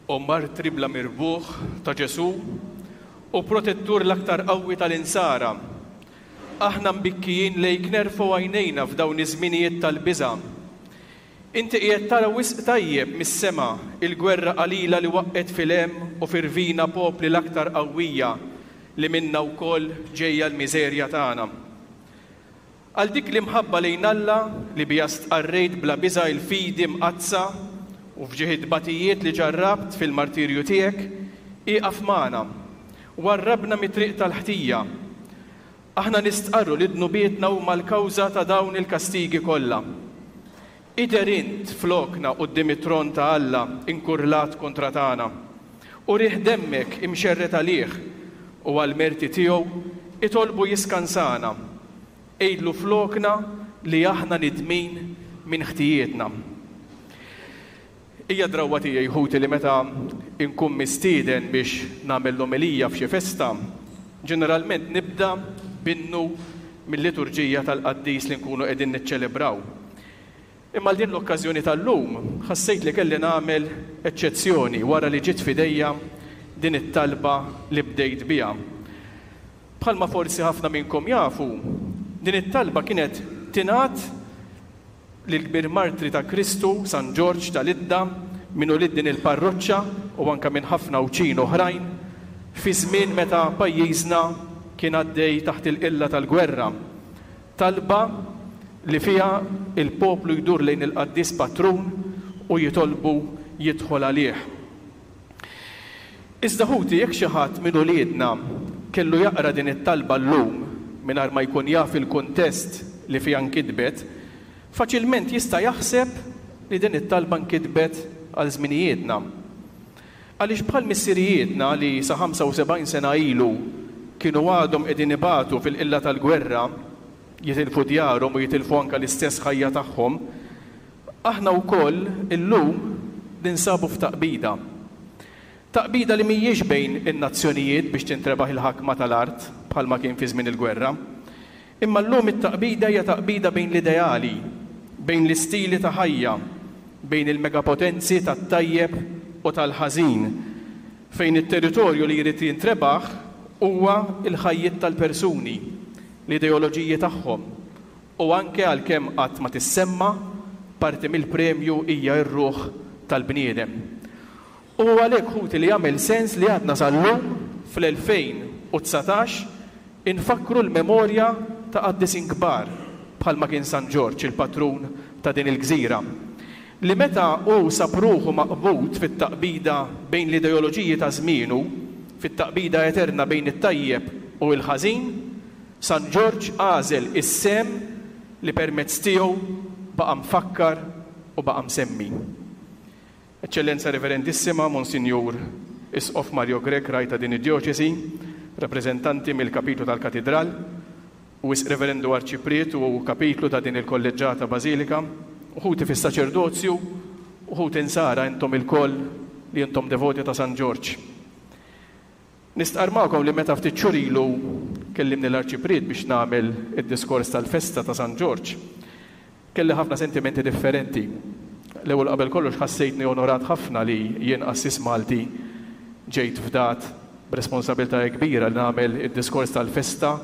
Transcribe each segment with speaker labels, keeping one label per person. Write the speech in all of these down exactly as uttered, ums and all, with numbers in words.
Speaker 1: O martri bla mirbuħ ta' Ġesù u protettur l-aktar qawwi tal-insara, aħna mbikkijin lejk nerfgħu għajnejna f'dawn iż-żminijiet tal-biża'. Inti qiegħed tara wisq tajjeb mis-sema il-gwerra qalila li waqqgħet fil-hemm u f'irvina popli l-aktar qawwija li minnha wkoll ġejja l-miżerja tagħna. Għal dik l-imħabba lejn Alla li biha stqarrejt bla biża' il-fidi mqaddsa u f'ġieħ it-tbatijiet li ġarrabt fil-martirju tiegħek, ieqaf magħna, warrabna mit-triq tal-ħtija. Aħna nistqarru li dnubietna huma l-kawża ta' dawn il-kastigi kollha. Idher int flokna quddiem it-tron ta' Alla inkurlat kontra tagħna, u riħ demmek imxerred għalih u għall-merti tiegħu itolbu jiskansana. Għidlu flokna li aħna nidmin minn ħtijietna. Hija drawwa tiegħi, ħuti, li meta nkun mistieden biex nagħmel l-omelija f'xi festa, ġeneralment nibda b'innu mill-liturġija tal-qaddis li nkunu qegħdin niċċelebraw. Imma għal din l-okkażjoni tal-lum ħassejt li kelli nagħmel eċċezzjoni wara li ġiet f'idejja din it-talba li bdejt biha. Bħalma forsi ħafna minnkom jafu, din it-talba kienet tingħad lill-kbir martri ta' Kristu, San Ġorġ tal-Idda, minn ulied din il-parroċċa u anke minn ħafna Għawdxin oħrajn, fi żmien meta pajjiżna kien għaddej taħt il-qilla tal-gwerra. Talba li fiha il-poplu jdur lejn il-qaddis patrun u jitolbu jidħol għalih. Iżda ħuti, jekk xi ħadd minn uliedna kellu jaqra din it-talba llum mingħajr ma jkun jaf il-kuntest li fiha nkitbet, faċilment jista' jaħseb li din it-talba nkitbet għal żminijietna. Għaliex bħal missirijietna li sa ħamsa u sebgħin sena ilu kienu għadhom qegħdin ibatu fil-qilla tal-gwerra, jitilfu djarhom u jitilfu anke l-istess ħajja tagħhom, aħna wkoll illum ninsabu f'taqbida. Taqbida li mhijiex bejn in-nazzjonijiet biex tintrebaħ il-ħakma tal-art bħalma kien fi żmien il-gwerra. Imma llum it-taqbida hija taqbida bejn l-ideali, bejn l-istili ta' ħajja, bejn il-megapotenzi tat-tajjeb u tal-ħażin, fejn it-territorju li jrid jintrebaħ huwa l-ħajjiet tal-persuni, l-ideoloġiji tagħhom, u anke għalkemm qatt ma tissemma, parti mill-premju hija r-ruħ tal-bniedem. U għalhekk, ħuti, li jagħmel sens li għadna sal-lum fl-elfejn u dsatax infakkru l-memorja ta' qaddisin kbar bħalma kien San Ġorġ, il-patrun ta' din il-gżira, li meta hu sab ruħu maqbud fit-taqbida bejn l-ideoloġiji ta' żmienu, fit-taqbida eterna bejn it-tajjeb u l-ħażin, San Ġorġ għażel is-sem li permezz tiegħu baqa' mfakkar u baqa' msemmi. Eċċellenza Reverendissima Monsinjur Isqof Mario Grech, ragħaj ta' din id-djoċesi, rappreżentanti mill-Kapitlu tal-Katidral, u Wisq Reverendu Arċipriet u Kapitlu ta' din il-Kolleġġata Bażilika, u ħuti fis-saċerdozju, u ħuti insara intom ilkoll li intom devoti ta' San Ġorġ. Nistqarr magħkom li meta ftit xhur ilu kellimni l-Arċipriet biex nagħmel id-diskors tal-festa ta' San Ġorġ, kelli ħafna sentimenti differenti. L-ewwel qabel kollox ħassejtni onorat ħafna li jien qassis Malti ġejt fdat b'responsabilità kbira li nagħmel id-diskors tal-festa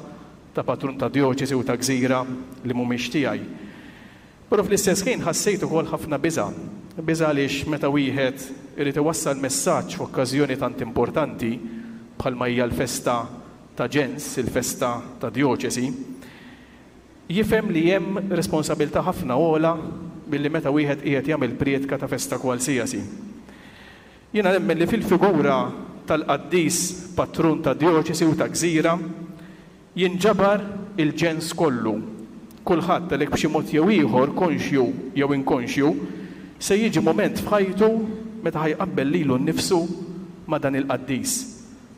Speaker 1: ta' patrun ta' djoċesi u ta' gżira li mhumiex tiegħi. Però fl-istess ħin ħassejt ukoll ħafna biża'. Biża' għaliex meta wieħed irid iwassal messaġġ f'okkażjoni tant importanti bħalma hija l-festa ta' ġens, il-festa ta' djoċesi, jifhem li hemm responsabilità ħafna ogħla milli meta wieħed qiegħed jagħmel prietka ta' festa kwalsiasi. Jiena nemmen li fil-figura tal-qaddis patrun ta' djoċesi u ta' gżira jinġabar il-ġens kollu. Kulħadd għalhekk b'xi mod jew ieħor, konxju jew inkonxju, se jiġi mument f'ħajtu meta ħajqabbel lilu nnifsu ma' dan il-qaddis,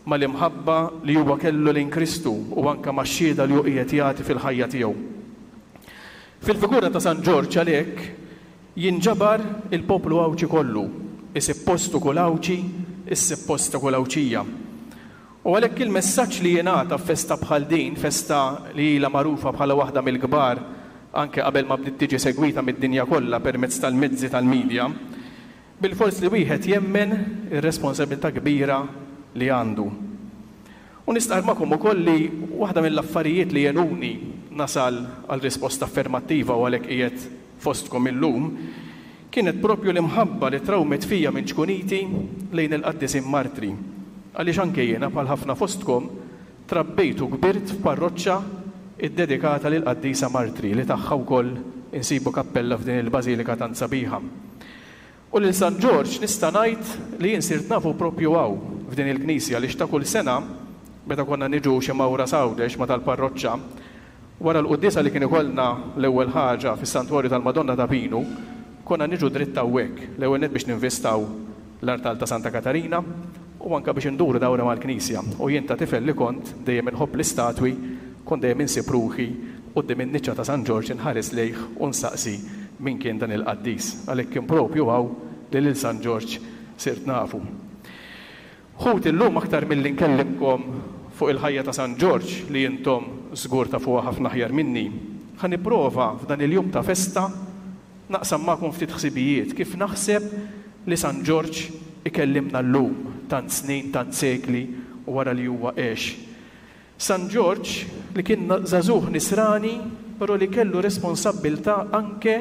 Speaker 1: mal-imħabba li huwa kellu lejn Kristu u anke max-xhieda li hu qiegħed jagħti fil-ħajja tiegħu. Fil-figura ta' San Ġorġ għalhekk jinġabar il-poplu Għawdxi kollu, isib postu kull Għawdxi, issib posta kull Għawdxija. U għalhekk il-messaġġ li jingħata f'festa bħal din, festa li ilha magħrufa bħala waħda mill-kbar anke qabel ma bdiet tiġi segwita mid-dinja kollha permezz tal-mezzi tal-medja, Bilfors li wieħed jemmen ir-responsabilità kbira li għandu. U nistqarr magħkom ukoll li waħda mill-affarijiet li għenuni nasal għal risposta affermattiva u għalhekk qiegħed fostkom illum kienet propju l-imħabba li trawmet fija minn ċkuniti lejn il-qaddisin martri. Għaliex anke jiena bħal ħafna fostkom trabbejt u kbirt f'parroċċa iddedikata lill-qaddisa martri li tagħha wkoll insibu kappella f'din il-bażilika tant sabiħa. U lil San Ġorġ nista' ngħid li jien sirt nafu propju hawn f'din il-knisja li ta' kull sena meta konna niġu xi mawra s'Għawdex ma' tal-parroċċa, wara l-quddiesa li kien ikollna l-ewwel ħaġa fis-Santwarju tal-Madonna ta' Pinu, konna niġu dritt hawnhekk, l-ewwel nett biex ninvistaw l-artal ta' Santa Katarina u anke biex induru dawra mal-knisja. U jien ta' tifel li kont dejjem inħobb l-istatwi, kont dejjem insib ruħi quddiem in-niċċa ta' San Ġorġ inħares lejh u nsaqsi min kien dan il-qaddis. Għalhekk kien propju hawn li lil San Ġorġ sirt nafu. Ħuti, llum aktar milli nkellimkom fuq il-ħajja ta' San Ġorġ li intom żgur tafuha ħafna aħjar minni, ħa nipprova f'dan il-jum ta' festa naqsam magħkom ftit ħsibijiet kif naħseb li San Ġorġ ikellimna llum tant snin, tant sekli wara li huwa għex. San Ġorġ li kien żagħżugħ nisrani, però li kellu responsabbiltà anke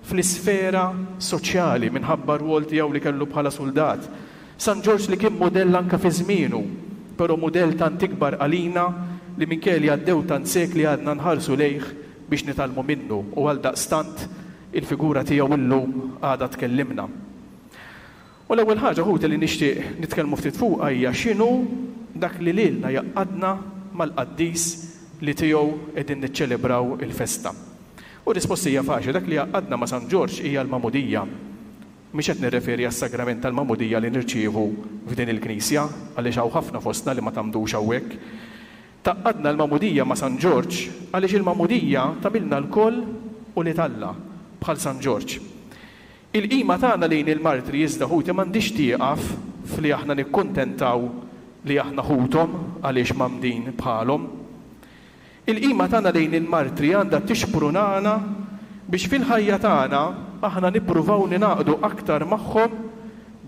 Speaker 1: fl-isfera soċjali minħabba r-rwol tiegħu li kellu bħala suldat. San Ġorġ li kien mudell anke fi żmienu, però mudell tant ikbar għalina li minkejja li għaddew tant sekli għadna nħarsu lejh biex nitgħallmu minnu u għaldaqstant il-figura tiegħu llum għadha tkellimna. U l-ewwel ħaġa ħuti li nixtieq nitkellmu ftit fuqha hija x'inhu dak li lilna jgħaqqadna mal-qaddis li tiegħu qegħdin niċċelebraw il-festa. U risposta hija faċli, dak li jgħaqqadna ma' San Ġorġ hija l-magħmudija. Mhix qed nirreferi għas-sagrament tal-magħmudija li nirċievu f'din il-knisja, għaliex hawn ħafna fostna li ma tgħammdux hawnhekk. Tgħaqqadna l-magħmudija ma' San Ġorġ għaliex il-magħmudija tagħmilna lkoll ulied Alla bħal San Ġorġ. Il-qima tagħna lejn il-martri iżda ħuti m'għandix tieqaf fli aħna nikkuntentaw li aħna ħuthom għaliex mgħammdin bħalhom. Il-qima tagħna lejn il-martri għandha tixprunana biex fil-ħajja tagħna aħna nippruvaw ningħaqdu aktar magħhom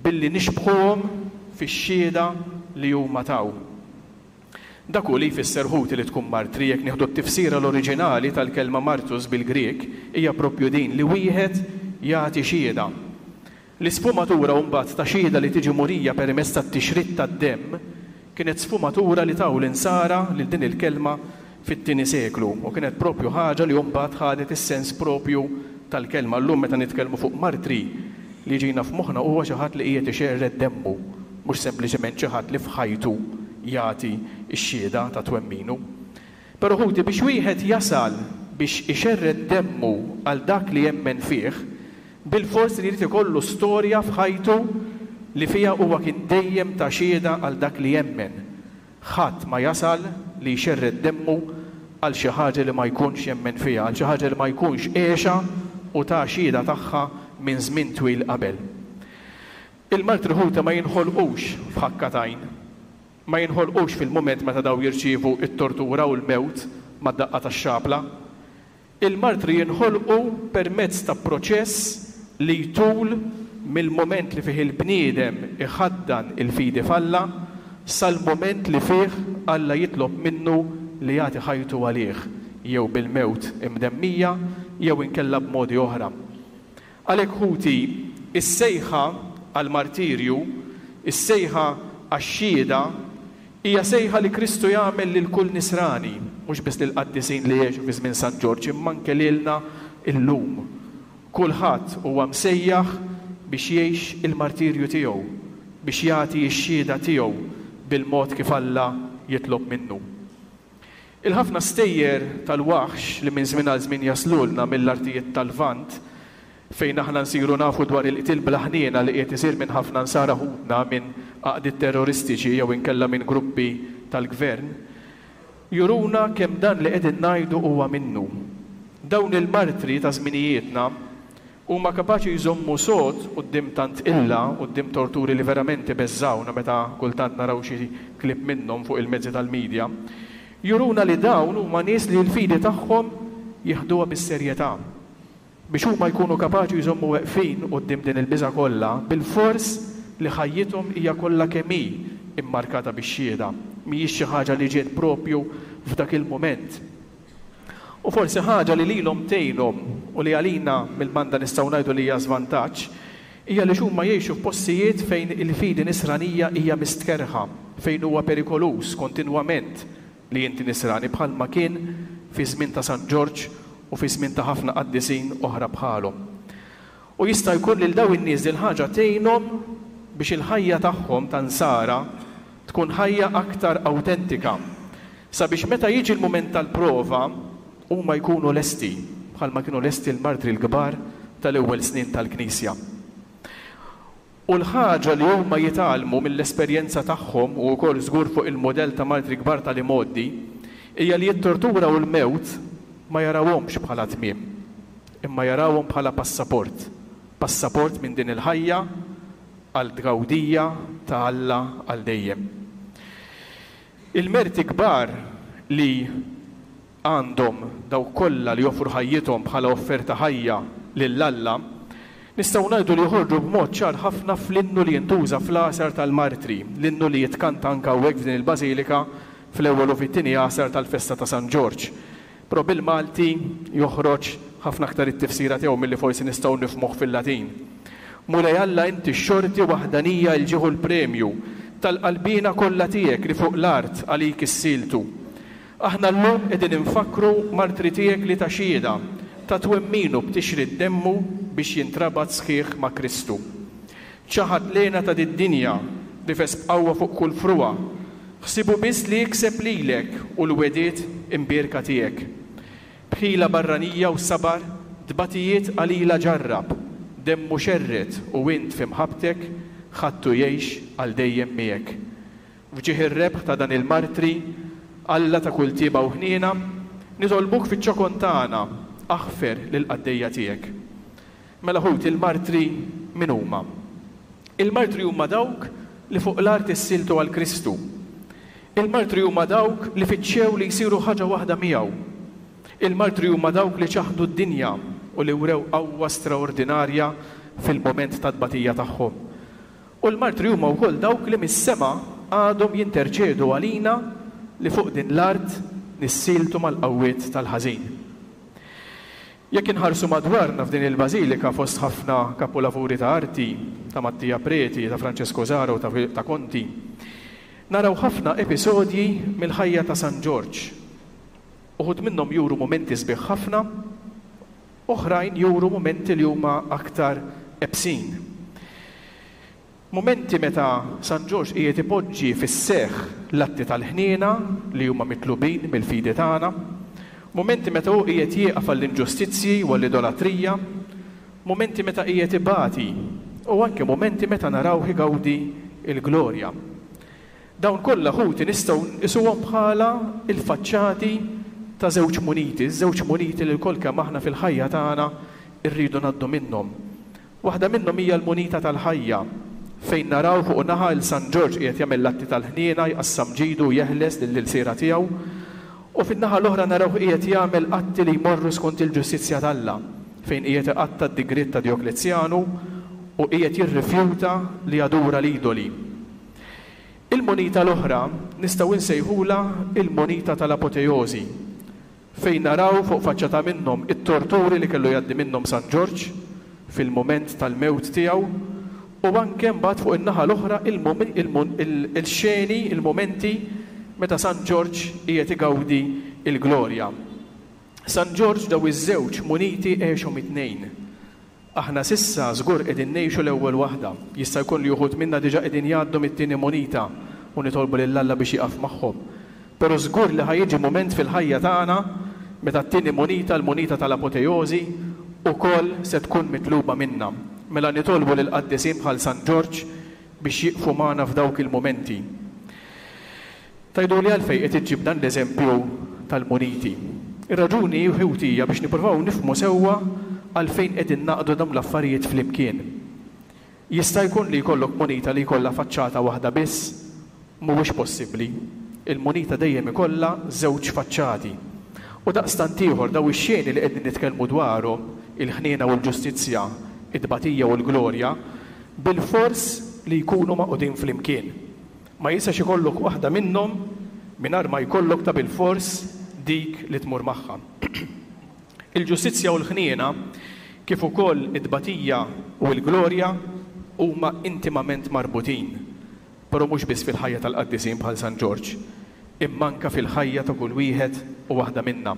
Speaker 1: billi nixbħuhom fix-xhieda li huma taw. Dak hu li jfisser ħuti li tkun martri, jekk nieħdu t-tifsira l-oriġinali tal-kelma martus bil-Grek hija propju din li wieħed jagħti xhieda. L-isfumatura mbagħad ta' xhieda li tiġi murija permezz tat-tixrid tad-demm kienet sfumatura li taw l-insara lil din il-kelma fit-tieni seklu u kienet propju ħaġa li mbagħad ħadet is-sens propju tal-kelma. Llum meta nitkellmu fuq martri li ġina f'moħħna huwa xi ħadd li qiegħed ixerred demmu, mhux sempliċement xi ħadd li f'ħajtu jagħti x-xhieda ta' twemminu. Però ħuti biex wieħed jasal biex ixerred demmu għal dak li jemmen fih, bilfors li jrid ikollu storja f'ħajtu li fiha huwa kien dejjem ta' xhieda għal dak li jemmen. Ħadd ma jasal li jxerred demmu għal xi ħaġa li ma jkunx jemmen fiha, għal xi ħaġa li ma jkunx għexha u ta' xhieda tagħha minn żmien twil qabel. Il-martri ħuta ma jinħolqux f'ħakka t'għajn, ma jinħolqux fil-mument meta daw jirċievu t-tortura u l-mewt mad-daqqa tax-xapla. Il-martri jinħolqu permezz ta' proċess li jtul mill-mument li fih il-bniedem iħaddan il-fidi f'Alla sal-mument li fih Alla jitlob minnu li jagħti ħajtu għalih, jew bil-mewt imdemmija jew inkella b'modi oħra. Għalhekk ħuti, is-sejħa għall-martirju, is-sejħa għax-xhieda, hija sejħa li Kristu jagħmel lil kull nisrani, mhux biss lill-qaddisin li għexu fi żmien San Ġorġ, imma anke lilna llum. Kulħadd huwa msejjaħ biex jgħix il-martirju tiegħu, biex jagħti x-xhieda tiegħu bil-mod kif Alla jitlob minnu. Il-ħafna stejjer tal-waħx li minn żmien għal żmien jaslulna mill-artijiet tal-Lvant, fejn aħna nsiru nafu dwar il-qtil bla ħniena li qiegħed isir minn ħafna nsara ħutna minn għaqdiet terroristiċi jew inkella minn gruppi tal-gvern, juruna kemm dan li qegħdin ngħidu huwa minnu. Dawn il-martri ta' żminijietna huma kapaċi jżommu sod quddiem tant illa, quddiem torturi li verament ibeżżawna meta kultant naraw xi klip minnhom fuq il-mezzi tal-medja, juruna li dawn huma nies li l-fidi tagħhom jieħduha bis-serjetà. Biex huma jkunu kapaċi jżommu weqfin quddiem din il-biża' kollha, bilfors li ħajjithom hija kollha kemm hi immarkata bix-xhieda, mhijiex xi ħaġa li ġiet propju f'dak il-mument. U forsi ħaġa li lilhom tgħinhom u li għalina mill-banda nistgħu ngħidu li hija żvantaġġ, hija li huma jgħixu f'postijiet fejn il-fidi nisranija hija mistkerrħa, fejn huwa perikoluż kontinwament li inti nisrani, bħalma kien fi żmien ta' San Ġorġ u fi żmien ta' ħafna qaddisin oħra bħalhom. U jista' jkun lil dawn in-nies din ħaġa tgħinhom biex il-ħajja tagħhom ta' nsara tkun ħajja aktar awtentika, sabiex meta jiġi l-mument tal-prova huma jkunu lesti, bħalma kienu lesti l-martri l-kbar tal-ewwel snin tal-Knisja. U l-ħaġa li huma jitgħallmu mill-esperjenza tagħhom u wkoll żgur fuq il-modell ta' martri kbar tal-imgħoddi hija li t-tortura u l-mewt ma jarawhomx bħala tmiem, imma jarawhom bħala passaport, passaport minn din il-ħajja għal tgawdija ta' Alla għal dejjem. Il-merti kbar li għandhom dawk kollha li joffru ħajjithom bħala offerta ħajja lil Alla, nistgħu ngħidu li joħorġu b'mod ċar ħafna fl-innu li jintuża fl-għasar tal-martri, l-innu li jitkanta anke hawnhekk f'din il-bażilika fl-ewwel u fit-tieni għasar tal-festa ta' San Ġorġ. Però bil-Malti joħroġ ħafna aktar it-tifsira tiegħu milli forsi nistgħu nifhmuh fil-Latin. Mulej Alla, inti x-xorti waħdanija l-ġieħu l-premju tal-qalbina kollha tiegħek li fuq l-art għalik issieltu. Aħna llum qegħdin infakkru martri tiegħek li ta' xhieda ta' twemminu b'tixrid demmu biex jintrabat sħiħ ma' Kristu. Ċaħad lena ta' did-dinja rifes b'qawwa fuq kull frugħa, ħsibu biss li jikseb lilek u l-wegħdiet imbierka tiegħek. B'ħila barranija u sabar tbatijiet qalila ġarrab, demmu xerred u int fi mħabbtek ħadtu jgħix għal dejjem miegħek. F'ġieħ ir-rebħ ta' dan il-martri, Alla ta' kull tieba u ħniena, nitolbuk fiċ-ċokon tagħna, aħfer lill-qaddejja tiegħek. Mela ħuti, il-martri min huma? Il-martri huma dawk li fuq l-art issieltu għal Kristu. Il-martri huma dawk li fittxew li jsiru ħaġa waħda miegħu. Il-martri huma dawk li ċaħdu d-dinja u li wrew qawwa straordinarja fil-moment ta' tbatija tagħhom. U l-martri huma wkoll dawk li mis-sema għadhom jinterċedu għalina li fuq din l-art nissieltu mal-qawwiet tal-ħażin. Jekk inħarsu madwarna f'din il-bażilika fost ħafna kapolavuri ta' arti, ta' Mattia Preti, ta' Francesco Zara u ta', ta' Conti, naraw ħafna episodji mill-ħajja ta' San Ġorġ. Uħud minnhom juru mumenti sbieħ ħafna, oħrajn juru mumenti li huma aktar ebsin. Mumenti meta San Ġorġ qiegħed ipoġġi fis-seħħ l-atti tal-ħniena li huma mitlubin mill-fidi tagħna, mumenti meta hu qiegħed jieqaf għall-inġustizzji u għall-idolatrija, mumenti meta qiegħed ibati u anke mumenti meta narawh igawdi l-glorja. Dawn kollha ħuti nistgħu nqisuhom bħala il-faċċati ta' żewġ muniti, żewġ muniti li lkoll kemm aħna fil-ħajja tagħna rridu ngħaddu minnhom. Waħda minnhom hija l-munita tal-ħajja, fejn naraw fuq naħa il San Ġorġ qiegħed jagħmel l-atti tal-ħniena, jqassam ġidu u jeħles lill-ilsiera tiegħu, u fin-naħa l-oħra naraw qiegħed jagħmel atti li jmorru skont il-ġustizzja t'Alla, fejn qiegħed iqatta' d-digriet ta' Djoklezjanu u qiegħed jirrifjuta li jadura l-idoli. Il-munita l-oħra nistgħu nsejħulha il-munita tal-apoteosi, fejn naraw fuq faċċata minnhom it-torturi li kellu jgħaddi minnhom San Ġorġ fil-mument tal-mewt tiegħu, u anke mbagħad fuq in-naħa l-oħra il-xeni, il-mumenti meta San Ġorġ qiegħed igawdi l-glorja. San Ġorġ daw iż-żewġ muniti għexhom it-tnejn. Aħna sissa żgur qegħdin ngħixu l-ewwel waħda. Jista' jkun li uħud minna diġà qegħdin jgħaddu mit-tieni munita u nitolbu lil Alla biex jieqaf magħhom. Però żgur li ħajjiġi mument fil-ħajja tagħna meta t-tieni munita, l-munita tal-apoteosi, ukoll se tkun mitluba minna. Mela nitolbu lil qaddisin bħal San Ġorġ biex jieqfu magħna f'dawk il-mumenti. Tgħiduli għalfejn qed iġġib dan l-eżempju tal-muniti. Ir-raġuni ħuti hija biex nippruvaw nifhmu sewwa għalfejn qegħdin naqdu dawn l-affarijiet flimkien. Jista' jkun li jkollok munita li jkollha faċċata waħda biss? Mhuwiex possibbli. Il-munita dejjem ikollha żewġ faċċati. U daqstant ieħor daw ix-xeni li qegħdin nitkellmu dwarhom, il-ħniena u l-ġustizzja, it-tbatija u l-glorja, bilfors li jkunu magħqudin flimkien. Ma jistax ikollok waħda minnhom mingħajr ma jkollok ta' bilfors dik li tmur magħha. Il-ġustizzja u l-ħniena, kif ukoll it-tbatija u l-glorja, huma intimament marbutin, però mhux biss fil-ħajja tal-qaddisin bħal San Ġorġ, imma anke fil-ħajja ta' kull wieħed u waħda minna.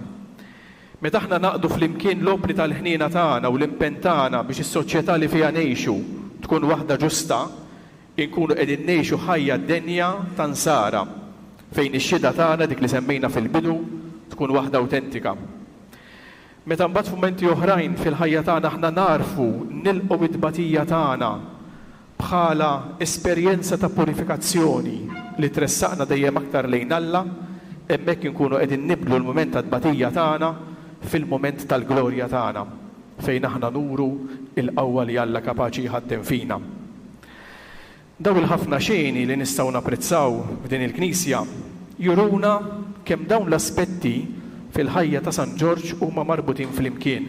Speaker 1: Meta aħna naqdu flimkien l-opri tal-ħniena tagħna u l-impenn tagħna biex is-soċjetà li fiha ngħixu tkun waħda ġusta, inkunu qegħdin ngħixu ħajja denja ta' nsara, fejn ix-xhieda tagħna, dik li semmejna fil-bidu, tkun waħda awtentika. Meta mbagħad f'mumenti oħrajn fil-ħajja tagħna aħna narfu nilqgħu it-tbatija tagħna bħala esperjenza ta' purifikazzjoni li tressaqna dejjem aktar lejn Alla, hemmhekk inkunu qegħdin nibdlu l-mument ta' tbatija tagħna fil-mument tal-glorja tagħna, fejn aħna nuru il-qawwa li Alla kapaċi jħaddem fina. Daw il-ħafna xeni li nistgħu napprezzaw f'din il-knisja juruna kemm dawn l-aspetti fil-ħajja ta' San Ġorġ huma marbutin flimkien.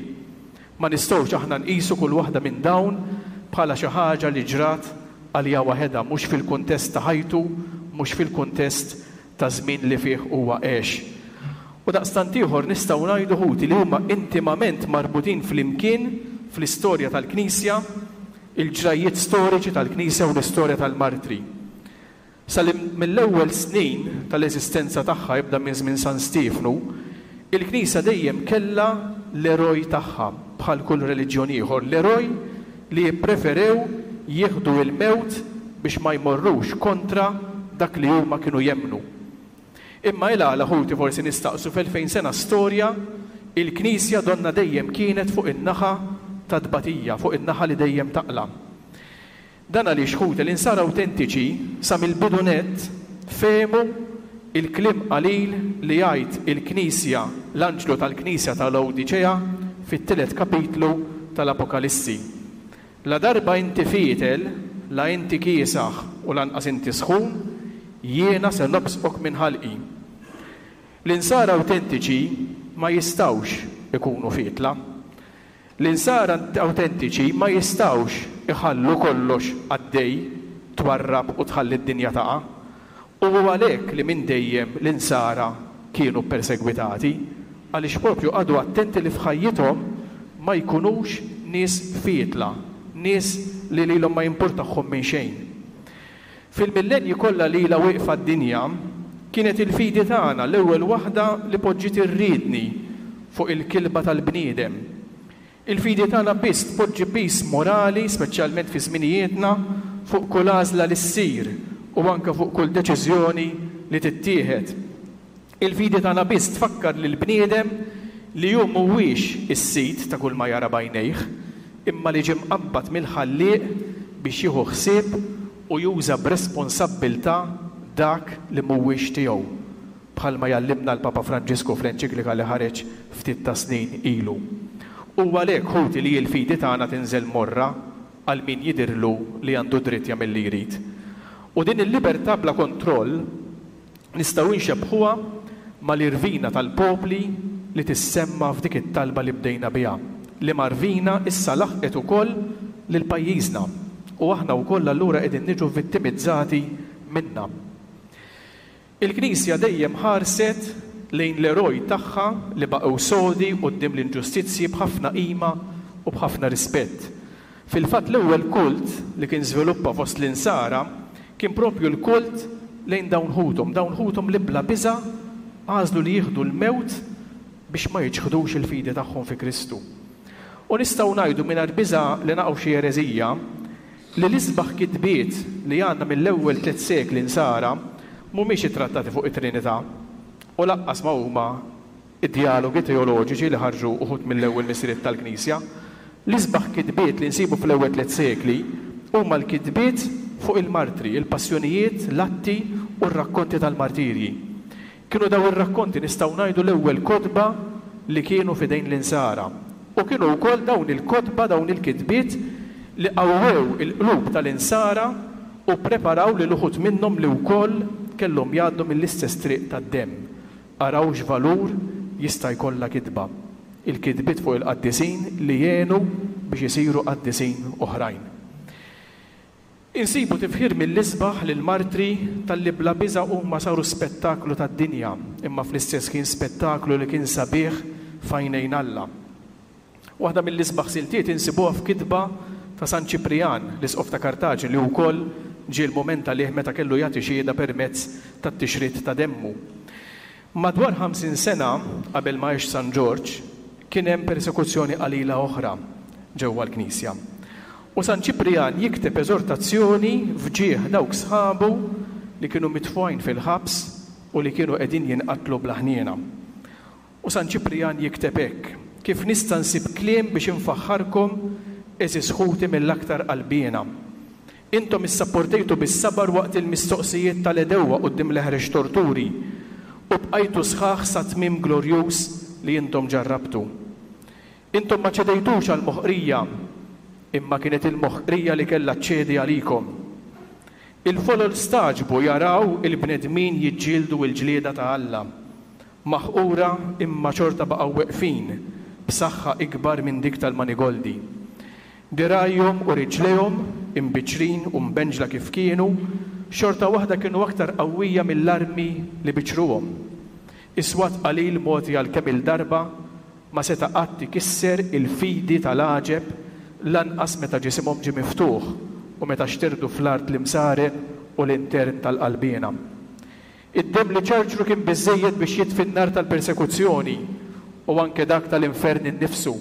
Speaker 1: Ma nistgħux aħna nqisu kull waħda minn dawn bħala xi ħaġa li ġrat għalija waħedha, mhux fil-kuntest ta' ħajtu, mhux fil-kuntest ta' żmien li fih huwa għex. U daqstant ieħor nistgħu ngħidu, ħuti, li huma intimament marbutin flimkien fl-istorja tal-Knisja, il-ġrajjiet storiċi tal-Knisja u l-istorja tal-martri. Sa mill-ewwel snin tal-eżistenza tagħha, jibda minn żmien San Stiefnu, il-Knisja dejjem kellha l-eroj tagħha bħal kull reliġjon ieħor, l-eroj li jippreferew jieħdu il-mewt biex ma jmorrux kontra dak li huma kienu jemmnu. Imma il-għala, ħuti, forsi nistaqsu, f'elfejn sena storja il-Knisja donna dejjem kienet fuq in-naħa ta' tbatija, fuq in-naħa li dejjem taqla'. Dan għaliex, ħuti, l-insara awtentiċi sa mill-bidu nett fehmu il-kliem qalil li jgħid il-Knisja, l-anġlu tal-Knisja tal-Laodiċea fit-tielet kapitlu tal-Apokalissi. La darba inti fietel, la inti kiesaħ u lanqas inti sħun, jiena se nobsqok minn ħalqi. L-insara awtentiċi ma jistgħux ikunu fietla. L-insara awtentiċi ma jistgħux iħallu kollox għaddej, twarrab u tħalli d-dinja taqa'. U għalhekk li minn dejjem l-insara kienu persegwitati, għaliex propju qagħdu attenti li f'ħajjithom ma jkunux nies fietla, nies li lilhom ma jimpurtahom minn xejn. Fil-millenji kollha li ilha wieqfa d-dinja, kienet il-fidi tagħna l-ewwel waħda li poġġiet ir-riedni fuq il-kilba tal-bniedem. Il-fidi tagħna biss tpoġġi piż morali, speċjalment fi żminijietna, fuq kull għażla li ssir u anke fuq kull deċiżjoni li tittieħed. Il-fidi tagħna biss tfakkar lill-bniedem li hu mhuwiex is-sid ta' kull ma jara b'għajnejh, imma li ġie mqabbad mill-Ħallieq biex jieħu ħsieb u juża b'responsabbiltà dak li mhuwiex tiegħu, bħalma jgħallimna l-Papa Franġisku fl-enċiklika li ħareġ ftit ta' snin ilu. U għalhekk, ħuti, li l-fidi tagħna tinżel morra għal min jidhirlu li għandu dritt jagħmel li jrid. U din il-libertà bla kontroll nistgħu nxebbħuha mal-irvina tal-popli li tissemma f'dik it-talba li bdejna biha, li marvina issa laħqet ukoll lil pajjiżna u aħna wkoll allura qegħdin niġu vittimizzati minna. Il-Knisja dejjem ħarset lejn l-eroj tagħha li baqgħu sodi quddiem l-inġustizzji b'ħafna qima u b'ħafna rispett. Fil-fatt l-ewwel kult li kien żviluppa fost l-insara kien propju l-kult lejn dawn ħuthom, dawn ħuthom li bla biża' għażlu li jieħdu l-mewt biex ma jiċħdux il-fidi tagħhom fi Kristu. U nistgħu ngħidu mingħajr biża' li naqgħu xi ereżija li l-isbaħ kitbiet li għandna mill-ewwel tliet sekli nsara mhumiex ittrattati fuq it-Trinità u lanqas ma huma id-dialogi teoloġiċi li ħarġu uħud mill-ewwel missiriet tal-Knisja. L-isbaħ kitbiet li nsibu fl-ewwel tliet sekli huma l-kitbiet fuq il-martri, il-passjonijiet, l-atti u r-rakkonti tal-martirji. Kienu daw ir-rakkonti nistgħu ngħidu l-ewwel kotba li kienu f'idejn l-insara. U kienu wkoll dawn il-kotba, dawn il-kitbiet li qawwew il-qlub tal-insara u preparaw li l-uħud minnhom li wkoll kellhom jgħaddu mill-istess triq tad-demm. Araw x'valur jista' jkollha kitba. il-kitbiet fuq il-qaddisin li jgħinu biex isiru qaddisin oħrajn. Insibu tifħir mill-isbaħ lill-martri talli bla biża' huma saru spettaklu tad-dinja, imma fl-istess kien spettaklu li kien sabiħ f'għajnejn Alla. Waħda mill-isbaħ siltiet insibuha f'kitba ta' San Ċiprijan, l-isqof ta' Kartaġni, li wkoll ġie l-mument għalih meta kellu jagħti xhieda permezz tat-tixrid ta' demmu. Madwar ħamsin sena qabel ma għex San Ġorġ, kien hemm persekuzzjoni qalila oħra ġewwa l-Knisja. U San Ċiprijan jikteb eżortazzjoni f'ġieħ dawk sħabu li kienu mitfugħin fil-ħabs u li kienu qegħdin jinqatlu bla ħniena. U San Ċiprijan jikteb hekk: kif nista' nsib kliem biex infaħħarkom, għeżież ħuti mill-aktar qalbiena. Intom issapportejtu bis-sabar waqt il-mistoqsijiet tal-għedewwa quddiem l-eħrex torturi u bqajtu sħaħ sa tmiem glorjuż li intom ġarrabtu. Intom ma ċedejtux għall-moħqrija, imma kienet il-moħqrija li kellha ċċedi għalikom. Il-folol staġbu jaraw il-bnedmin jiġġieldu l-ġlieda ta' Alla, maħqura imma xorta baqgħu weqfin b'saħħa ikbar minn dik tal-manigoldi. Dirgħajhom u riġlejhom, imbiċċrin u mbenġla kif kienu, xorta waħda kienu aktar qawwija mill-armi li biċċruhom. Is-swat qalil mogħti għal kemm il-darba ma seta' qatt ikisser il-fidi tal-għaġeb, lanqas meta ġisimhom ġie miftuħ u meta xterdu fl-art l-imsaren u l-intern tal-qalbiena. Id-demm li ċarċru kien biżżejjed biex jitfi n-nar tal-persekuzzjoni u anke dak tal-infern innifsu.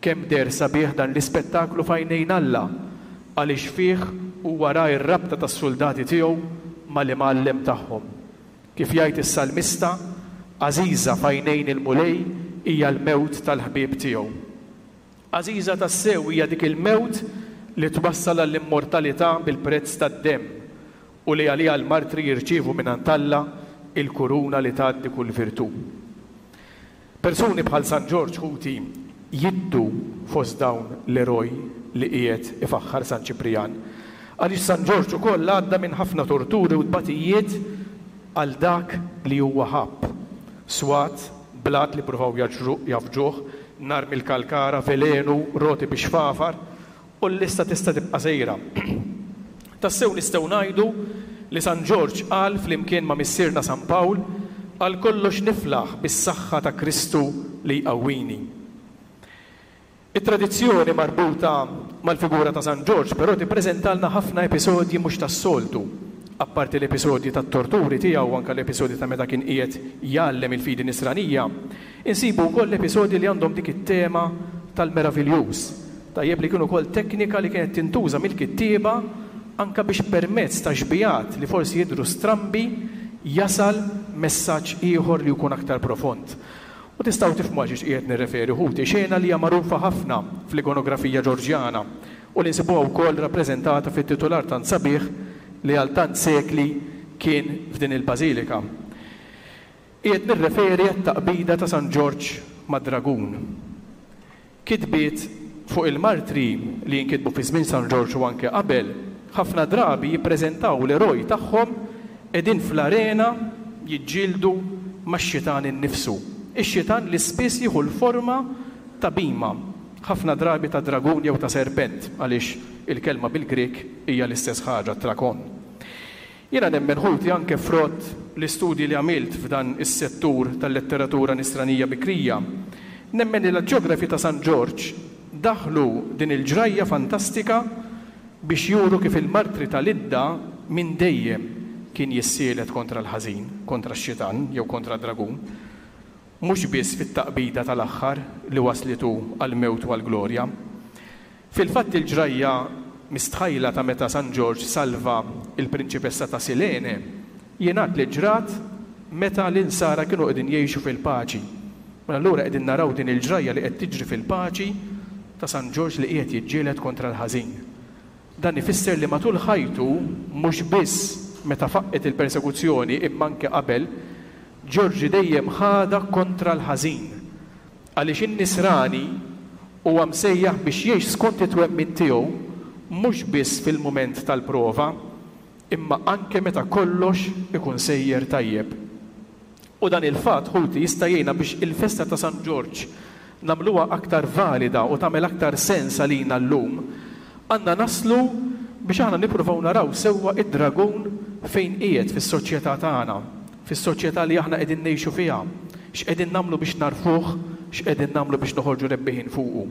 Speaker 1: Kemm deher sabiħ dan l-ispettaklu f'għajnejn Alla, għaliex fih huwa ra r-rabta tas-soldati tiegħu mal-imgħallem tagħhom. Kif jgħid is-salmista, għażiża f'għajnejn il-Mulej hija l-mewt tal-ħbieb tiegħu. Għażiża tassew hija dik il-mewt li twassal għall-immortalità bil-prezz tad-demm u li għaliha l-martri jirċievu mingħand Alla il-kuruna li tgħaddi kull virtù. Persuni bħal San Ġorġ, ħuti, jiddu fost dawn l-eroj li qiegħed ifaħħar San Ċiprijan. Għaliex San Ġorġ ukoll għadda minn ħafna torturi u tbatijiet għal dak li huwa ħabb. Swat, blat li pruvaw jafġuh, nar mill-kalkara, velenu, roti biex fafar, u l-lista tista' tibqa' sejra. Tassew nistgħu ngħidu li San Ġorġ qal flimkien ma' missierna San Pawl, għal kollox niflaħ bis-saħħa ta' Kristu li jqawwini. It-tradizzjoni marbuta mal-figura ta' San Ġorġ però tippreżentalna ħafna episodji mhux tas-soltu. Apparti l-episodji tat-torturi tiegħu, anke l-episodji ta' meta kien qiegħed jgħallem il-fidi nisranija, insibu wkoll episodji li għandhom dik it-tema tal-meraviljuż. Tajjeb li kienu wkoll teknika li kienet tintuża mill-kittieba anke biex permezz ta' xbijat li forsi jidhru strambi jasal messaġġ ieħor li jkun aktar profond. U tistgħu tifhmu għal xiex qiegħed nirreferi, ħuti, xena li hija magħrufa ħafna fl-ikonografija Ġorġjana u li nsibuha wkoll rappreżentata fit-titular tant sabiħ li għal tant sekli kien f'din il-bażilika. Qiegħed nirreferi għat-taqbida ta' San Ġorġ mad-dragun. Kitbiet fuq il-martri li jinkitbu fi żmien San Ġorġ u anke qabel, ħafna drabi jippreżentaw l-eroj tagħhom qegħdin fl-arena jiġġieldu max-xitan innifsu. Ix-xitan li spiss jieħu l-forma ta' bima, ħafna drabi ta' dragun jew ta' serpent, għaliex il-kelma bil-Grek hija l-istess ħaġa, trakon. Jiena nemmen, ħuti, anke frott l-istudji li għamilt f'dan is-settur tal-letteratura nisranija bikrija, nemmen li l-ġeografi ta' San Ġorġ daħlu din il-ġrajja fantastika biex juru kif il-martri tal-Idda minn dejjem kien jissielet kontra l-ħażin, kontra x-xitan jew kontra d-dragun, mhux biss fit-taqbida tal-aħħar li waslitu għall-mewt u għall-glorja. Fil-fatt il-ġrajja mistħajla ta' meta San Ġorġ salva il-prinċipessa ta' Silene jingħad li ġrat meta l-insara kienu qegħdin jgħixu fil-paċi. Mela allura qegħdin naraw din il-ġrajja li qed tiġri fil-paċi ta' San Ġorġ li qiegħed jiġġieled kontra l-ħażin. Dan ifisser li matul ħajtu, mhux biss meta faqqet il-persekuzzjoni imma anke qabel, Ġorġi dejjem ħadha kontra l-ħażin. Għaliex in-nisrani huwa msejjaħ biex jgħix skont it-twemmin tiegħu mhux biss fil-mument tal-prova, imma anke meta kollox ikun sejjer tajjeb. U dan il-fatt, ħuti, jista' jgħinna biex il-festa ta' San Ġorġ nagħmluha aktar valida u tagħmel aktar sens għalina llum, għandna naslu biex aħna nippruvaw naraw sewwa id-dragun fejn qiegħed fis-soċjetà tagħna, fis-soċjetà li aħna qegħdin ngħixu fiha, x'qegħdin nagħmlu biex narfuh, x'qegħdin nagħmlu biex noħorġu rebbiħin fuqu.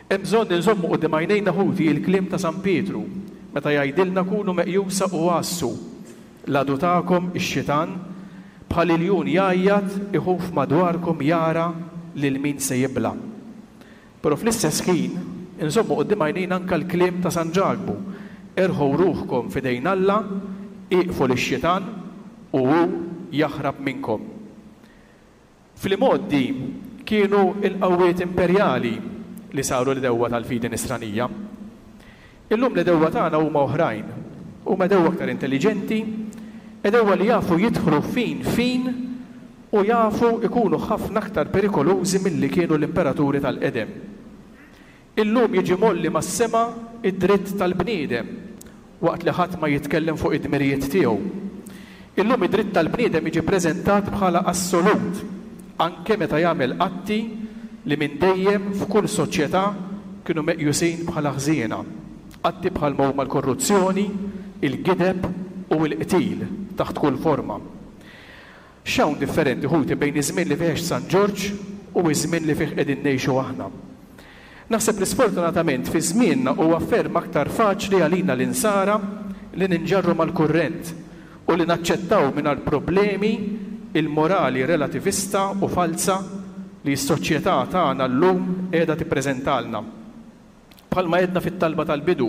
Speaker 1: Hemm bżonn inżommu quddiem għajnejna, ħuti, il-kliem ta' San Pietru meta jgħidilna: "Kunu meqjusa u għassu, l-għadu tagħkom ix-xitan bħal iljun jgħajjat iħuf madwarkom jara lil min se jibla'." Però fl-istess ħin inżommu quddiem għajnejna anke l-kliem ta' San Ġakbu: "Erħu ruħkom f'idejn Alla, iqfu lix-xitan u hu jaħrab minnkom." Fl-imgħoddi kienu l-qawwiet imperjali li saru l-għedewwa tal-fidi nisranija. Illum l-għedewwa tagħna huma oħrajn, huma għedewwa aktar intelliġenti, għedewwa li jafu jidħlu fin fin u jafu ikunu ħafna aktar perikolużi milli kienu l-imperaturi tal-qedem. Illum jiġi mgħolli mas-sema id-dritt tal-bniedem waqt li ħadd ma jitkellem fuq id-dmirijiet tiegħu. Illum id-dritt tal-bniedem jiġi preżentat bħala assolut, anke meta jagħmel atti li minn dejjem f'kull soċjetà kienu meqjusin bħala ħżiena. Atti bħal huma l-korruzzjoni, il-gideb u l-qtil taħt kull forma. X'hawn differenti, ħuti, bejn iż-żmien li fih San Ġorġ u iż-żmien li fih qegħdin ngħixu aħna? Naħseb li sfortunatament fi żmienna huwa ferm aktar faċli għalina l-insara li ninġarru mal-kurrent u li naċċettaw mingħajr problemi il-morali relativista u falsa li s-soċjetà tagħna llum qiegħda tippreżentalna. Bħalma għedna fit-talba tal-bidu,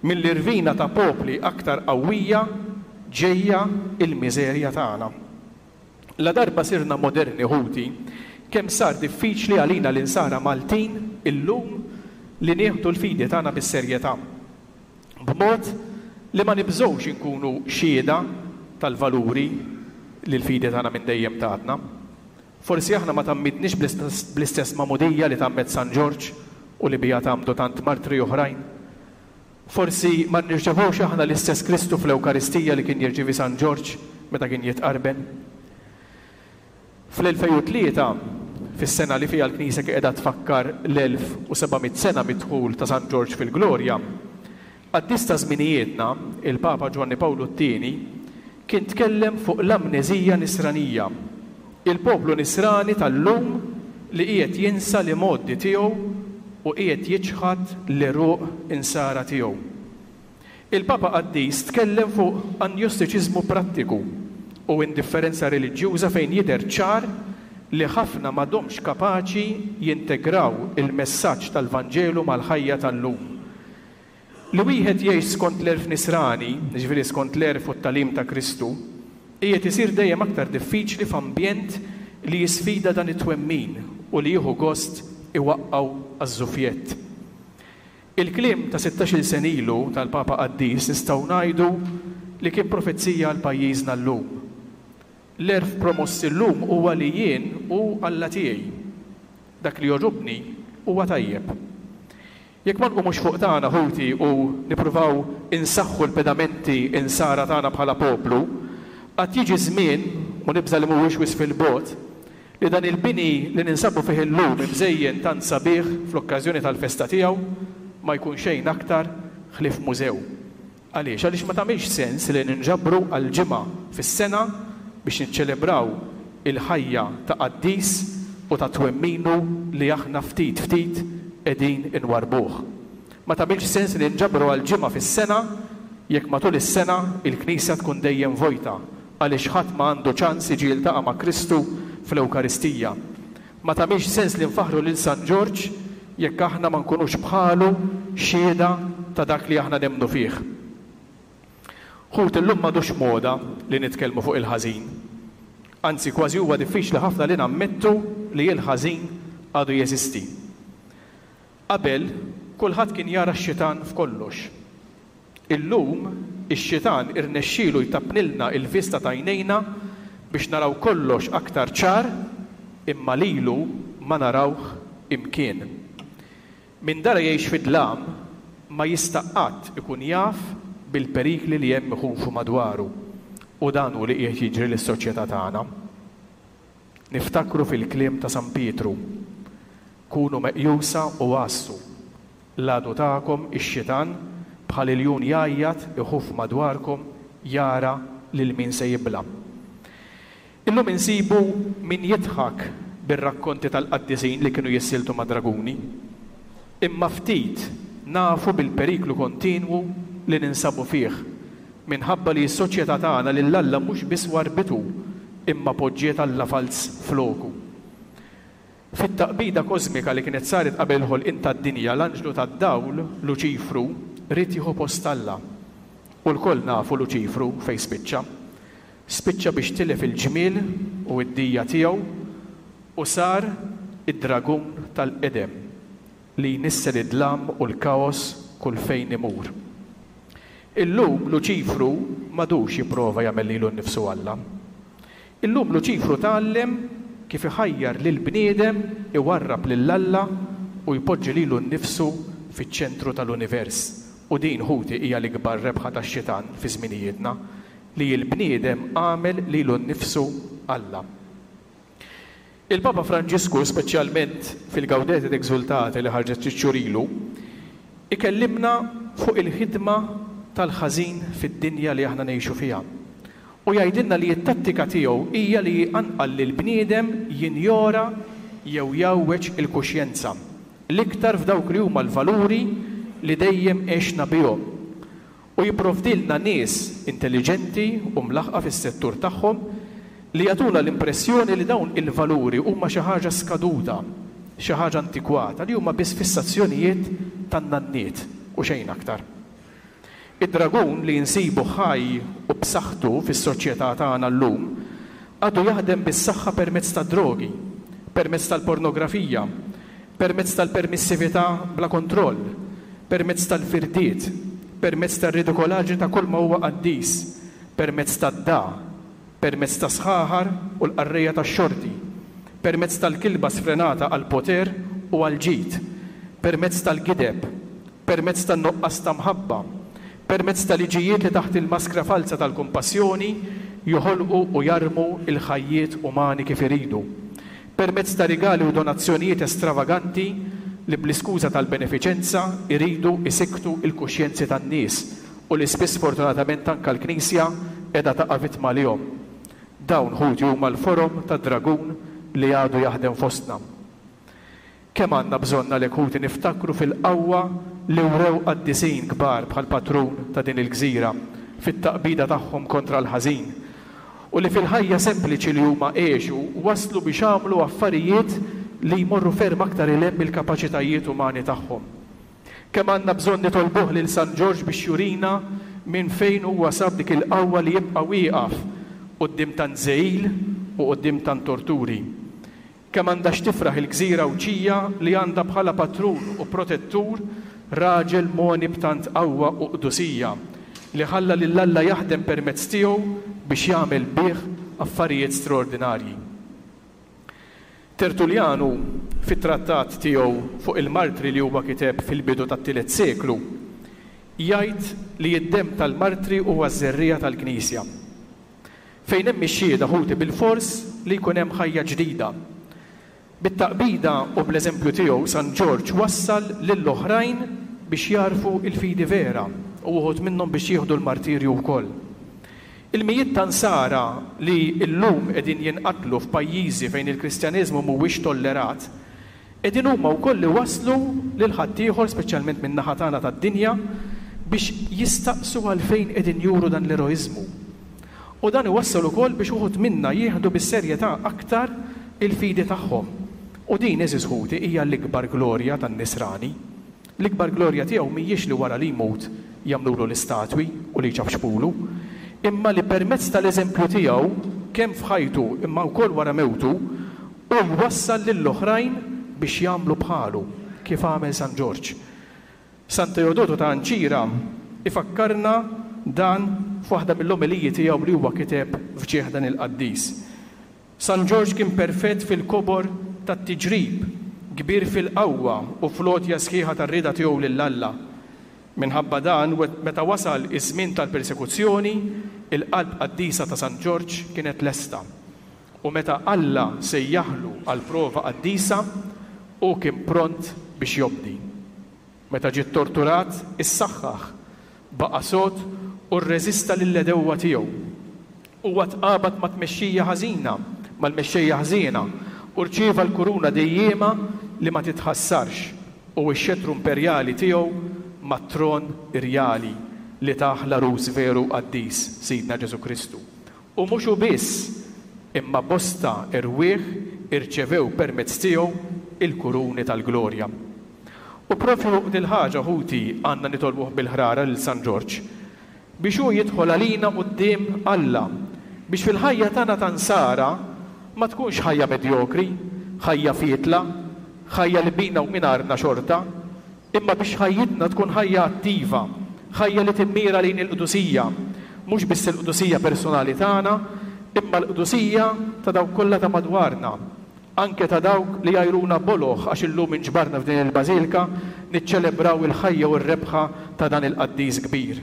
Speaker 1: mill-irvina ta' popli aktar qawwija ġejja il-miżerja tagħna. La darba sirna moderni, ħuti, kemm sar diffiċli għalina l-insara Maltin illum li nieħdu l-fidi tagħna bis-serjetà, b'mod li ma nibżgħux inkunu xhieda tal-valuri li l-fidi tagħna minn dejjem tatna. Forsi aħna ma tgħammidniex bl-istess magħmudija li tgħammed San Ġorġ u li biha tgħammdu tant martri oħrajn. Forsi ma nirċevux aħna l-istess Kristu fl-Ewkaristija li kien jirċievi San Ġorġ meta kien jitqarben. Fl-elfejn u tlieta, fis-sena li fiha l-Knisja qiegħda tfakkar l-elf u seba' mitt sena mid-dħul ta' San Ġorġ fil-Glorja, qaddis ta' żminijietna, il-Papa Ġwanni Pawlu t-tieni, kien tkellem fuq l-amneżija nisranija, il-poplu nisrani tal-lum li qiegħed jinsa li modi tiegħu u qiegħed jiċħad l-għeruq insara tiegħu. Il-Papa Qaddis tkellem fuq anjostiċiżmu prattiku u indifferenza reliġjuża fejn jidher ċar li ħafna m'għadhomx kapaċi jintegraw il-messaġġ tal-Vanġelu mal-ħajja tal-lum. Li wieħed jgħix skont l-għerf nisrani, jiġifieri skont l-għerf u t-tagħlim ta' Kristu, qiegħed isir dejjem aktar diffiċli f'ambjent li jisfida dan it-twemmin u li jieħu gost iwaqqgħu għaż-żufjett. Il-kliem ta' sittax-il sena ilu tal-Papa Qaddis nistgħu ngħidu li kien profezija għal pajjiżna llum. L-għerf promoss illum huwa li jien u Alla tiegħi. Dak li jogħġobni huwa tajjeb. Jekk ma nqumux fuq tagħna, ħuti, u nippruvaw insaħħu l-pedamenti insara tagħna bħala poplu, qatt jiġi żmien, u nibża' li mhuwiex wisq fil-bogħod, li dan il-bini li ninsabu fih illum imżejjen tant sabiħ fl-okkażjoni tal-festa tiegħu ma jkun xejn aktar ħlief mużew. Għaliex? Għaliex ma tagħmilx sens li ninġabru għal ġimgħa fis-sena biex niċċelebraw il-ħajja ta' qaddis u ta' twemminu li aħna ftit ftit qegħdin inwarbuh. Ma tagħmilx sens li ninġabru għal ġimgħa fis-sena jekk matul is-sena il-Knisja tkun dejjem vojta, għaliex ħadd ma għandu ċans jiġi jiltaqa' ma' Kristu fl-Ewkaristija. Ma tagħmilx sens li nfaħru lil San Ġorġ jekk aħna ma nkunux bħalu xhieda ta' dak li aħna nemmnu fih. Ħut, illum m'għadux moda li nitkellmu fuq il-ħażin. Anzi, kważi huwa diffiċli ħafna li nammettu li l-ħażin għadu jeżisti. Qabel, kulħadd kien jara x-xitan f'kollox. Illum, ix-xitan irnexxielu jtappnilna il-vista t'għajnejna biex naraw kollox aktar ċar, imma lilu ma narawh imkien. Min dara jgħix fid-dlam ma jista' qatt ikun jaf bil-perikli li hemm iħufu madwaru, u dan hu li qiegħed jiġri lis-soċjetà tagħna. Niftakru fil-kliem ta' San Pietru: Kunu meqjusa u għassu. L-għadu tagħkom ix-xitan bħal iljun jgħajjat iħuf madwarkom jara lil min se jibla'. Illum insibu min jidħak bir-rakkonti tal-qaddisin li kienu jissieltu ma' draguni. Imma ftit nafu bil-periklu kontinwu li ninsabu fih minħabba li s-soċjetà tagħna lil Alla mhux biss warbitu imma poġġiet Alla falz floku. Fit-taqbida kosmika li kienet saret qabel il-ħolqien tad-dinja, l-anġlu tad-dawl, Luċifru, ried jieħu post Alla. U lkoll nafu Luċifru fejn spiċċa. Spiċċa biex tilef il-ġmiel u d-dija tiegħu u sar id-dragun tal-qedem li jnissel id-dlam u l-kaos kull fejn imur. Illum Luċifru m'għadux jipprova jagħmel lilu nnifsu Alla. Illum Luċifru tgħallem kif iħajjar lil bniedem iwarrab lil Alla u jpoġġi lilu nnifsu fiċ-ċentru tal-univers. U din, ħuti, hija l-ikbar rebħa tax-xitan fi żminijietna, li l-bniedem għamel lilu nnifsu Alla. Il-Papa Franġisku, speċjalment fil-Gaudete et Exultate li ħarġet ftit xhur ilu, ikellimna fuq il-ħidma tal-ħażin fid-dinja li aħna ngħixu fiha. U jgħidilna li t-tattika tiegħu hija li jqanqal lill-bniedem jinjora jew jgħawweġ il-kuxjenza, l-iktar f'dawk li huma l-valuri li dejjem għexna bihom. U jipprovdilna nies intelliġenti u mlaħħqa fis-settur tagħhom li jagħtuna l-impressjoni li dawn il-valuri huma xi ħaġa skaduta, xi ħaġa antikwata, li huma biss fissazzjonijiet tan-nanniet u xejn aktar. Id-dragun li nsibu ħaj u b'saħħtu fis-soċjetà tagħna llum għadu jaħdem bis-saħħa permezz tad-drogi, permezz tal-pornografija, permezz tal-permissività bla kontroll, permezz tal-firdiet, permezz tar-ridikolaġni ta' kull ma huwa qaddis, permezz tad-da, permezz ta' sħaħar u l-qarrejja tax-xorti, permezz tal-kilba sfrenata għall-poter u għall-ġid, permezz tal-gideb, permezz tan-nuqqas ta' mħabba, permezz ta' liġijiet li taħt il-maskra falza tal-kumpassjoni joħolqu u jarmu il-ħajjiet umani kif iridu, permezz ta' rigali u donazzjonijiet estravaganti li bl-iskuża tal-benefiċenza iridu isiktu il-kuxjenzi tan-nies u li spiss fortunatament anke l-Knisja qiegħda taqa' vittma lihom. Dawn, ħuti, huma l-forom tad-dragun li għadu jaħdem fostna. Kemm għandna bżonn għalhekk, ħuti, niftakru fil-qawwa li wrew qaddisin kbar bħal patrun ta' din il-gżira fit-taqbida tagħhom kontra l-ħażin u li fil-ħajja sempliċi li huma għexu waslu biex għamlu affarijiet li jmorru ferm aktar 'il hemm mill-kapaċitajiet umani tagħhom. Kemm għandna bżonn nitolbuh lil San Ġorġ biex jurina minn fejn huwa sab dik il-qawwa li jibqa' wieqaf quddiem tant żegħil u quddiem tant torturi. Kemm għandha x'tifraħ il-gżira Għawdxija li għandha bħala patrun u protettur raġel moni b'tant qawwa u qdusija li ħalla lil Alla jaħdem permezz tiegħu biex jagħmel bih affarijiet straordinarji. Tertullianu, fit-trattat tiegħu fuq il-martri li huwa kiteb fil-bidu tat-tielet seklu, jgħid li d-demm tal-martri huwa ż-żerriegħa tal-Knisja. Fejn hemm ix-xhieda, ħuti, bilfors li jkun hemm ħajja ġdida. Bit-taqbida u bl-eżempju tiegħu San Ġorġ wassal lill-oħrajn biex jarfu il-fidi vera u uħud minnhom biex jieħdu l-martirju wkoll. Il-mijiet ta' nsara li llum qegħdin jinqatlu f'pajjiżi fejn il-Kristjaneżmu mhuwiex tollerat, qegħdin huma wkoll li waslu lil ħaddieħor, speċjalment min-naħa tagħna tad-dinja, biex jistaqsu għalfejn qegħdin juru dan l-eroiżmu. U dan iwassal ukoll biex uħud minna jieħdu bis-serjetà aktar il-fidi tagħhom. U din, għeżież ħuti, hija l-ikbar glorja tan-nisrani. L-ikbar glorja tiegħu mhijiex li wara li jmut jagħmlulu l-istatwi u li jċafxpulu, imma li permezz tal-eżempju tiegħu kemm f'ħajtu imma wkoll wara mewtu u jwassal lill-oħrajn biex jagħmlu bħalu kif għamel San Ġorġ. San Teodoto ta' Anċira ifakkarna dan f'waħda mill-omeliji tiegħu li huwa kiteb f'ġieħ dan il-qaddis. San Ġorġ kien perfett fil-kobor tat-tiġrib, kbir fil-qawwa u fl-għotja sħiħa tar-rieda tiegħu lil Alla. Minħabba dan, meta wasal iż-żmien tal-persekuzzjoni, il-qalb qaddisa ta' San Ġorġ kienet lesta. U meta Alla sejjaħlu għal prova qaddisa, Hu kien pront biex jobdi. Meta ġie ttorturat, issaħħaħ, baqa' sod u rreżista lill-għedewwa tiegħu. Huwa tqabad ma' tmexxija ħażina, mal-mexxejja ħżiena, u rċieva l-kuruna dejjiema li ma titħassarx u x-xettru imperjali tiegħu mat-tron irjali li tah l-Għarus veru u qaddis, Sidna Ġesù Kristu. U mhux hu biss, imma bosta erwieħ irċevew permezz tiegħu il-kuruni tal-glorja. U proprju fuq dil-ħaġa, ħuti, għandna nitolbuh bil-ħrara lil San Ġorġ, biex hu jidħol għalina quddiem Alla, biex fil-ħajja tagħna ta' Nsara ma tkunx ħajja medjokri, ħajja fietla, ħajja li bina u mingħajrna xorta, imma biex ħajjitna tkun ħajja attiva, ħajja li timmira lejn il-qdusija, mhux biss il-qdusija personali tagħna, imma l-qdusija ta' dawk kollha ta' madwarna, anke ta' dawk li jgħajruna boloh għax illum inġbarna f'din il-bażilka niċċelebraw il-ħajja u r-rebħa ta' dan il-qaddis kbir.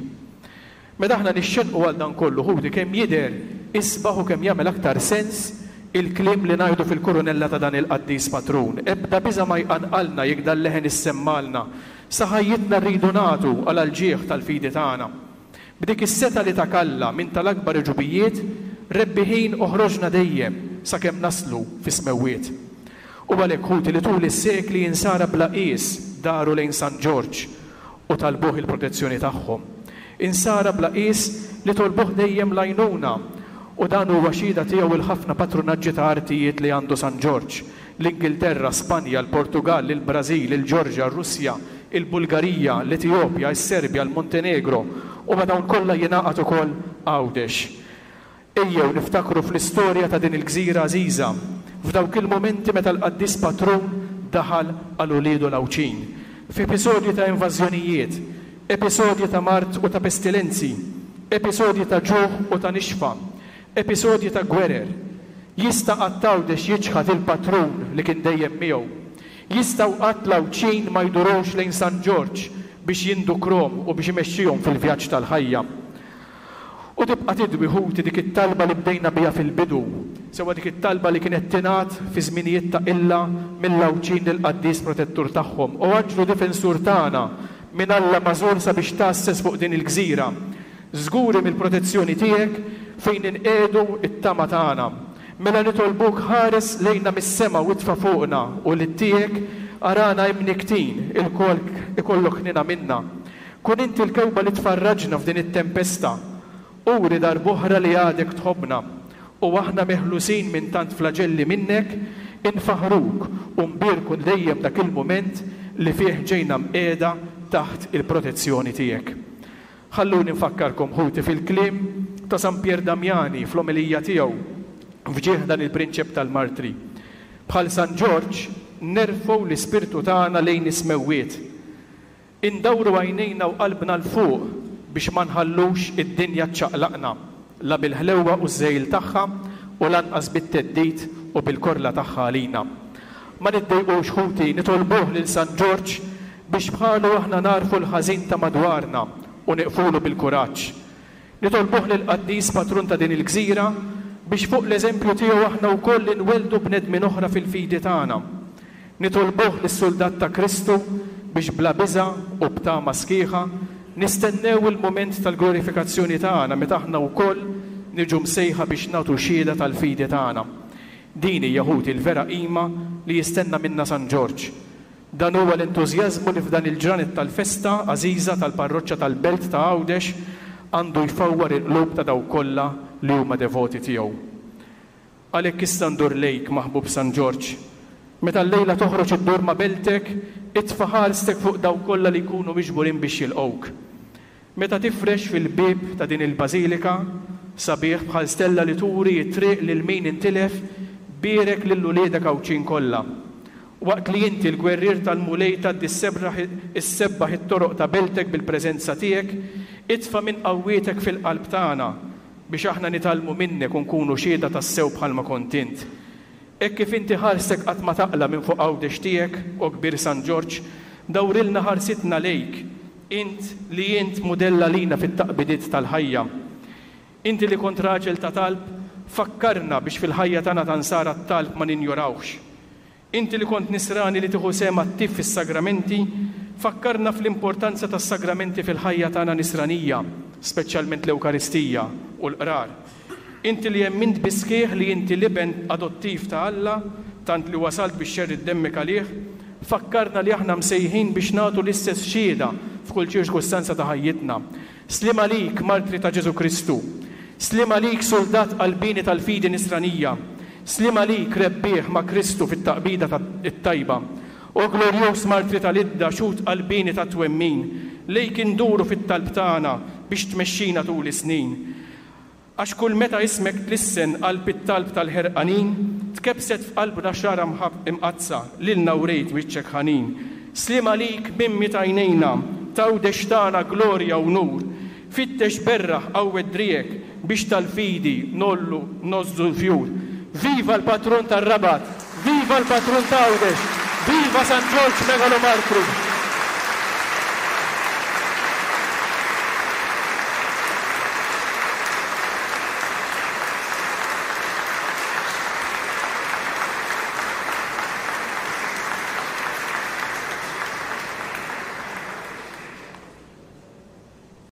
Speaker 1: Meta aħna nixxennqu għal dan kollu, ħuti, kemm jidher isbaħ u kemm jagħmel aktar sens il-kliem li ngħidu fil-kurunella ta' dan il-qaddis patrun. Ebda biża' ma jqanqalna jekk dal-leħen issemmalna. Sa ħajjitna rridu nagħtu għal għall-ġieħ tal-fidi tagħna. B'dik is-setgħa li tak Alla minn tal-akbar għeġubijiet, rebbiħin oħroġna dejjem sakemm naslu fis-smewwiet. U għalhekk, ħuti, li tul is-sekli insara bla qies daru lejn San Ġorġ u talbuh il-protezzjoni tagħhom. Insara bla qies li tolbuh dejjem l-għajnuna, u dan huwa xhieda tiegħu il-ħafna patrunaġġi ta' artijiet li għandu San Ġorġ, l-Ingilterra, Spanja, l-Portugall, il-Brażil, il-Ġorġja, r-Russja, il-Bulgarija, l-Etijopja, is-Serbja, il-Montenegro, u ma' dawn kollha jingħaqad ukoll Għawdex. Ejjew niftakru fl-istorja ta' din il-gżira għażiża, f'dawk il-mumenti meta l-qaddis patrun daħal għal uliedu l-Għawdxin, f'episodji ta' invażjonijiet, episodji ta' mard u ta' pestilenzi, episodji ta' ġuħ u ta' nixfa, episodji ta' gwerer. Jista' qatt Għawdex jiċħad il-patrun li kien dejjem miegħu? Jistgħu qatt l-Għawdxin ma jdurux lejn San Ġorġ biex jindukrom u biex imexxihom fil-vjaġġ tal-ħajja? U tibqa' tidwi, ħuti, dik it-talba li bdejna biha fil-bidu, sewwa dik it-talba li kienet tingħad fi żminijiet ta' qilla mill-Għawdxin lill-qaddis protettur tagħhom, O anġlu difensur tagħna, minn Alla magħżul sabiex tgħasses fuq din il-gżira, żguri mill-protezzjoni tiegħek fejn inqiegħdu t-tama tagħna. Mela nitolbuk ħares lejna mis-sema u itfa' fuqna ulied tiegħek, arana imnikktin, ilkoll ikollok ħniena minna. Kun inti l-kewba li tfarraġna f'din it-tempesta. Uri darb'oħra li għadek tħobbna, u aħna meħlusin minn tant flaġelli minnek, infaħħruk u nbierku dejjem dak il-mument li fih ġejna mqiegħda taħt il-protezzjoni tiegħek. Ħalluni nfakkarkom, ħuti, fil-kliem ta' San Pier Damiani fl-omelija tiegħu f'ġieħ dan il-prinċep tal-martri. Bħal San Ġorġ nerfgħu l-ispirtu tagħna lejn is-smewwiet. Indawru għajnejna u qalbna 'l fuq biex ma nħallux id-dinja ċċaqlaqna, la bil-ħlewwa u ż-żegħil tagħha u lanqas bit-theddid u bil-korla tagħha għalina. Ma niddejqux, ħuti, nitolbuh lil San Ġorġ biex bħalu aħna nagħrfu l-ħażin ta' madwarna u nieqfulu bil-kuraġġ. Nitolbuh lill-qaddis patrun ta' din il-gżira biex fuq l-eżempju tiegħu aħna wkoll inwelldu bnedmin oħra fil-fidi tagħna. Nitolbuh lis-suldat ta' Kristu biex bla biża' u b'tama sħiħa nistennew il-mument tal-glorifikazzjoni tagħna meta aħna wkoll niġu msejħa biex nagħtu xhieda tal-fidi tagħna. Din hija, ħuti, l-vera qima li jistenna minna San Ġorġ. Dan huwa l-entużjażmu li f'dan il-ġranet tal-festa għażiża tal-parroċċa tal-Belt ta' Għawdex għandu jfawwar il-qlub ta' dawk kollha li huma devoti tiegħu. Għalhekk issa ndur lejk, maħbub San Ġorġ. Meta llejla toħroġ iddur ma' beltek, itfa' ħarstek fuq dawk kollha li jkunu miġburin biex jilqgħuk. Meta tifrex fil-bieb ta' din il-bażilika, sabiħ bħal stella li turi t-triq lil min intilef, bierek lil uliedek Għawdxin kollha. Waqt li inti l-gwerrier tal-Mulej tgħaddi ssebbaħ it-toroq ta' beltek bil-preżenza tiegħek, itfa' minn qawwietek fil-qalb tagħna biex aħna nitgħallmu minnek u nkunu xhieda tassew bħalma kont int. Hekk kif inti ħarstek qatt ma taqla' minn fuq Għawdex tiegħek, o kbir San Ġorġ, dawrilna ħarsitna lejk, int li int mudell għalina fit-taqbidiet tal-ħajja. Inti li kont raġel ta' talb, fakkarna biex fil-ħajja tagħna ta' nsara t-talb ma ninjorawhx. Inti li kont nisrani li tieħu sehem attiv fis-sagramenti, fakkarna fl-importanza tas-sagramenti fil-ħajja tagħna nisranija, speċjalment l-Ewkaristija u l-qrar. Inti li emmint bis-sħiħ li inti l-iben adottiv ta' Alla, tant li wasalt biex xerridt demmek għalih, fakkarna li aħna msejħin biex nagħtu l-istess xhieda f'kull ċirkustanza ta' ħajjitna. Sliem għalik, martri ta' Ġesù Kristu. Sliem għalik, suldat qalbieni tal-fidi nisranija. Sliem għalik, rebbieħ ma' Kristu fit-taqbida t-tajba. O glorjuż martri tal-Idda, xhud qalbieni tat-twemmin, lejk induru fit-talb tagħna biex tmexxina tul is-snin. Għax kull meta ismek tlissen qalb it-talb tal-ħerqanin, tkebbset f'qalbna xrara imqaddsa, lilna wrejt wiċċek ħanin. Sliem għalik mimmi t'għajnejna, t'Għawdex tagħna glorja u nur. Fittex berraħ qawwet driegħek biex tal-fidi ngħollu ngħożżu l-fjur. Viva l-patrun tar-Rabat! Viva l-patrun t'Għawdex! Viva San Ġorġ Megalomartru!